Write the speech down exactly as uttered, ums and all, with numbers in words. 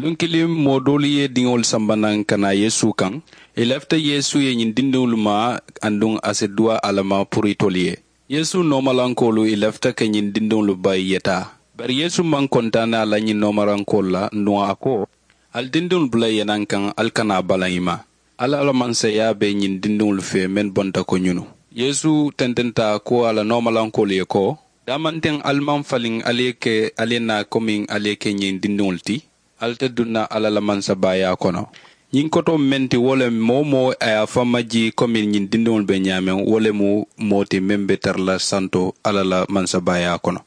Luŋ kiliŋ moo doolu ye diŋolu samba naŋ ka naa yeesu kaŋ. Ì lafita yeesu ye ñiŋ dindiŋolu ma, aduŋ a si duwaa alla ma puru itolu ye. Yeesu noomalankoolu ì lafita ka ñiŋ dindiŋolu bayi yetaa. Bari yeesu maŋ kontaani a la ñiŋ noomalankoolu la, aduŋ a ko, ali dindiŋolu bula ì ye naŋ kaŋ, ali kana a balaŋ ì ma. Alla la mansayaa be ñiŋ dindiŋolu fee mennu bonta ko ñunu. Yeesu tententa ko a la noomalankoolu ye ko, daamanteŋ ali maŋ faliŋ ali ye ke ali ye naa komiŋ ali ye ke ñiŋ dindiŋolu ti. Ali te duŋ na alla la mansabaayaa kono. Ñiŋ kotoo meŋ ti wo le moo-wo-moo a ye a faŋ majii komiŋ ñiŋ dindiŋolu be ñaameŋ wo le mu moo ti meŋ be tara la santo alla la mansabaayaa kono.